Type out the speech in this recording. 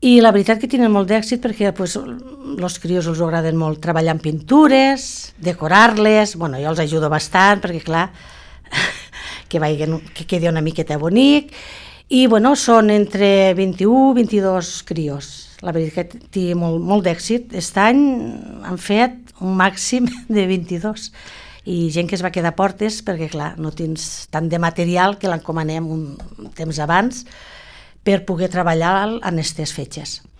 I la veritat que tenen molt d'èxit perquè els crios els agraden molt treballar en pintures, decorar-les, jo els ajudo bastant perquè clar, que quedi una miqueta bonic, i són entre 21 i 22 crios. La veritat que té molt d'èxit. Aquest any han fet un màxim de 22 i gent que es va quedar a portes perquè clar, no tens tant de material que l'encomanem un temps abans per poder treballar en aquestes fetges.